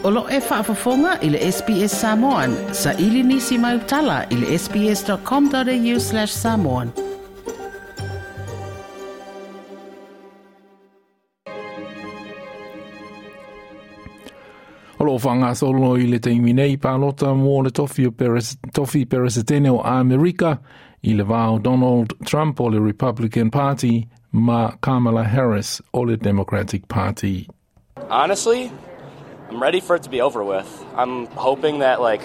O lo e faafofoga i le SBS Samoan. Saili nisi mau tala i le sbs.com.au/samoan. O lo whangasolo i le taimi nei palota mo le tofi, o Peres, tofi peresetene o Amerika i le vao Donald Trump o le Republican Party ma Kamala Harris o le Democratic Party. Honestly, I'm ready for it to be over with. I'm hoping that like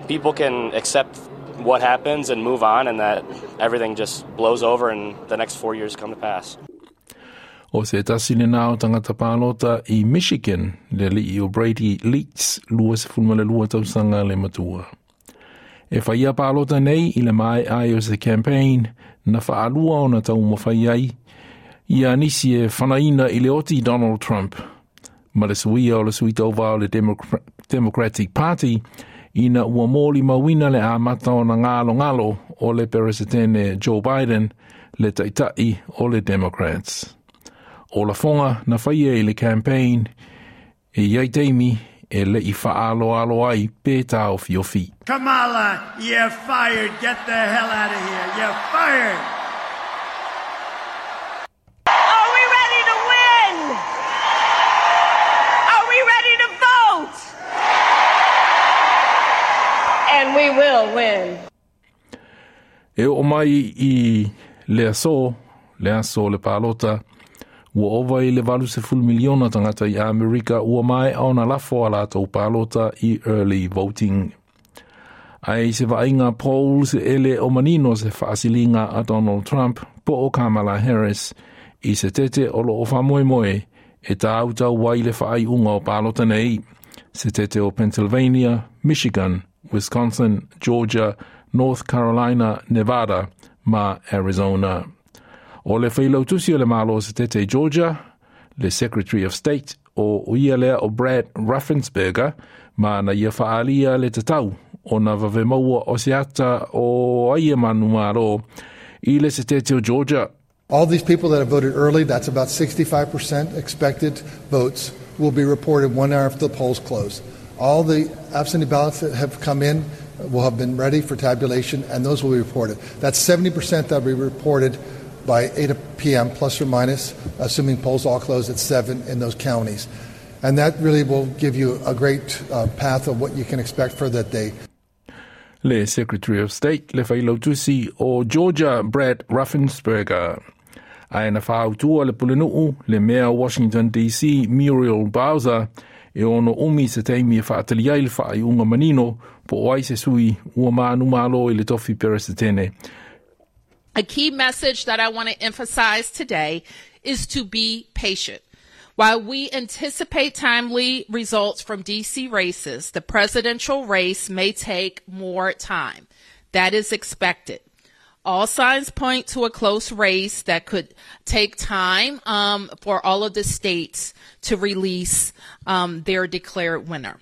people can accept what happens and move on and that everything just blows over and the next 4 years come to pass. O se tasi le nao tangata pālota i Michigan, le alii o Brady Leets, 22 tausaga le matua. E whaia pālota nei i le mai ai o se campaign na whaalua o na taumawhai ai ia nisi e whanaina i le oti Donald Trump. Ma le suia o le sui tauva o le Democratic Party ina ua mōli mauina le amata o na ngalo ngalo o le peresetene Joe Biden le taitai o le Democrats. O la fonga na whaia i le campaign e iai teimi e le i whaalo alo ai pe tā o fiofi. Kamala, you're fired. Get the hell out of here. You're fired. Are we ready to win? Are we ready to vote? And we will win. E o mai i le aso le aso le palota, ua ova i le 80 miliona tangata i Amerika ua mai au na lafo a latou palota i early voting. Ai se vaaiga polls e le o manino se faasiliga a Donald Trump po o Kamala Harris i se tete o lo o whamoemoe e tāutau ai le whaaiunga o palota nei, se tete o Pennsylvania, Michigan, Wisconsin, Georgia, North Carolina, Nevada, ma Arizona. O le whailautusi o le malo se tete Georgia, le Secretary of State o ia lea o Brad Raffensperger, ma na ia whaalia le tatau o na vave maua o se ata o aia manu malo i le se tete o Georgia. All these people that have voted early, that's about 65% expected votes, will be reported 1 hour after the polls close. All the absentee ballots that have come in will have been ready for tabulation, and those will be reported. That's 70% that will be reported by 8 p.m. plus or minus, assuming polls all close at 7 in those counties. And that really will give you a great path of what you can expect for that day. Le Secretary of State le whailautusi o Georgia Brad Raffensperger. Ae na whaautua le pulenuu le mea Washington DC Muriel Bowser e ono umi se teimi e whaatali ai le whaaiunga manino po o ai se sui ua maanu malo i le tofi peresetene. A key message that I want to emphasize today is to be patient. While we anticipate timely results from DC races, the presidential race may take more time. That is expected. All signs point to a close race that could take time for all of the states to release their declared winner.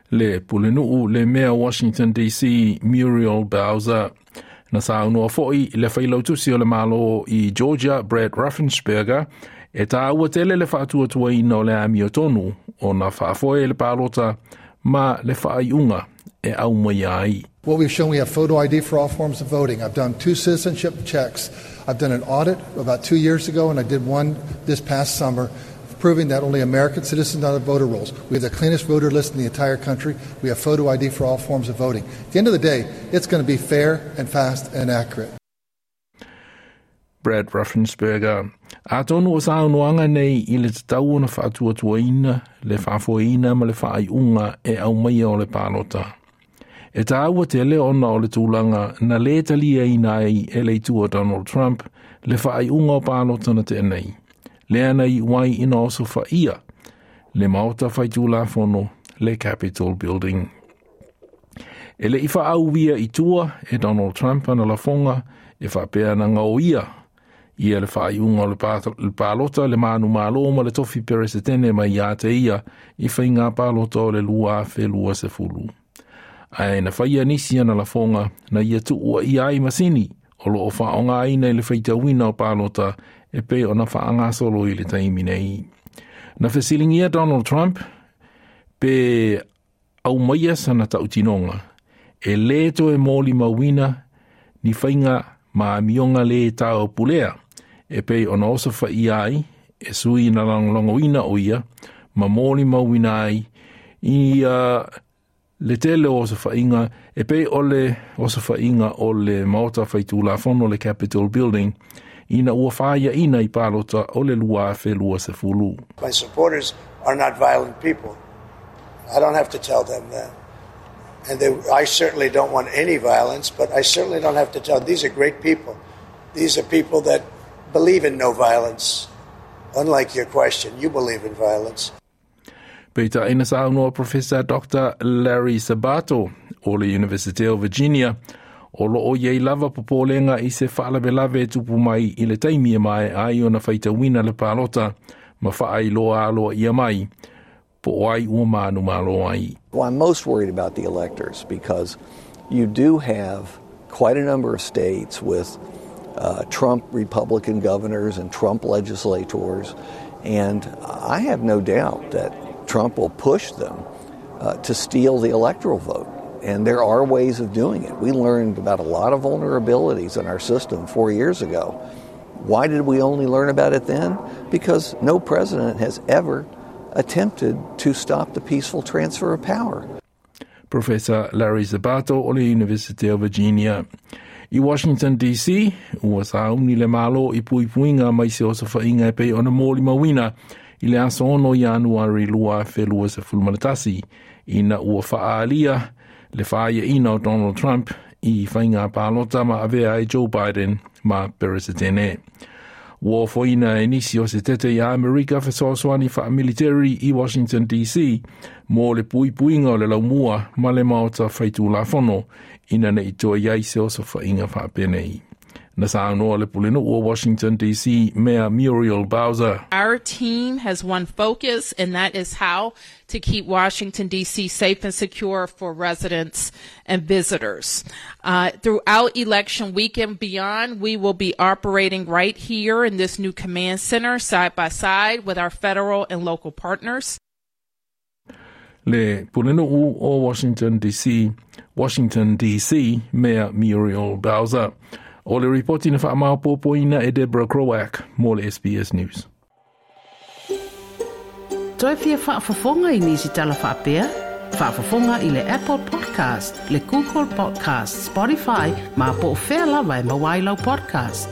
Le pulenuu le mea Washington DC Muriel Bowser. Na saunua foi le whailautusi o le malo i Georgia Brad Raffensperger e tā ua tele le whaatuatuaina o le amio tonu o na whaafoe le pālota ma le whaaiunga e au mai ai. What we've shown, we have photo ID for all forms of voting. I've done 2 citizenship checks. I've done an audit about 2 years ago, and I did one this past summer, proving that only American citizens are on the voter rolls. We have the cleanest voter list in the entire country. We have photo ID for all forms of voting. At the end of the day, it's going to be fair and fast and accurate. Brad Raffensperger. A tonu o saunoanga nei i le tatau ona whaatuatuaina, le whaafoeina ma le whaaiunga e au maia o le pālota. E tāua te leo ona o le tūlanga na le talia ina ai e le itua Donald Trump le whaaiunga o pālota na tēnei. Le ana i wai ina oso whaia, le maota whaitūlafono, le Capitol Building. E le iwha au via i tua e Donald Trump ana lafonga e whapea na ngau ia. Ia le whaaiunga o le pālota le mānu mālo ma le tofi peresetene mai ia te ia i whai ngā pālota o le lua awhe lua se fulu. Ae na whaia nisi ana lafonga na ia tuua ia ai masini o lo o whaonga aina i le whaitauina o pālota e pe o na whaangasolo i le taimi nei. Na whesilingia Donald Trump Pe aumaia sana ta'utinoga e lē toe molimauina ni faiga ma amioga lē taopulea e pei ona osofa'ia ai e sui na lagolagoina o ia ma molimauina ai i le tele o osofa'iga e pei o le osofa'iga o le maota faitulafono le Capitol Building ina ua faia'ina i palota o le 2020. My supporters are not violent people. I don't have to tell them that. And I certainly don't want any violence, but I certainly don't have to tell. These are great people. These are people that believe in no violence. Unlike your question, you believe in violence. Peitai na saunoa Professor Dr. Larry Sabato o le University of Virginia o loo iai lava popolega i se faalavelave e tupu mai i le taimi e maea ai ona faitauina le palota ma faailoa aloaia mai po o ai ua manumalo ai. Well, I'm most worried about the electors because you do have quite a number of states with Trump Republican governors and Trump legislators, and I have no doubt that Trump will push them to steal the electoral vote. And there are ways of doing it. We learned about a lot of vulnerabilities in our system 4 years ago. Why did we only learn about it then? Because no president has ever attempted to stop the peaceful transfer of power. Professor Larry Sabato o le University of Virginia. I Washington DC, ua sauni le Malo i puipuiga mai se osofa'iga e pei ona molimauina i le aso 6 Ianuari 2021 ina ua fa'aalia le faia'ina o Donald Trump i faiga palota ma avea ai Joe Biden ma Peresetene. Ua ofoina e nisi o se tete i Amerika fesoasoani fa'amiliteri i Washington DC mo le puipuiga o le laumua ma le maota faitulafono ina ne'i toe i ai se osofa'iga fa'apenei. Na saunoa le pulenu'u o Washington DC Mayor Muriel Bowser. Our team has one focus, and that is how to keep Washington, D.C. safe and secure for residents and visitors. Throughout election week and beyond, we will be operating right here in this new command center side by side with our federal and local partners. Le pulenu'u o Washington DC, Washington DC Mayor Muriel Bowser. O le ripoti na whaamaopopoina e Deborah Croak mo le SBS News. Toe fia faafofoga i nisi tala faapea? Faafofoga i le Apple Podcast, le Google Podcast, Spotify, ma po o fea lava e maua ai lau podcast.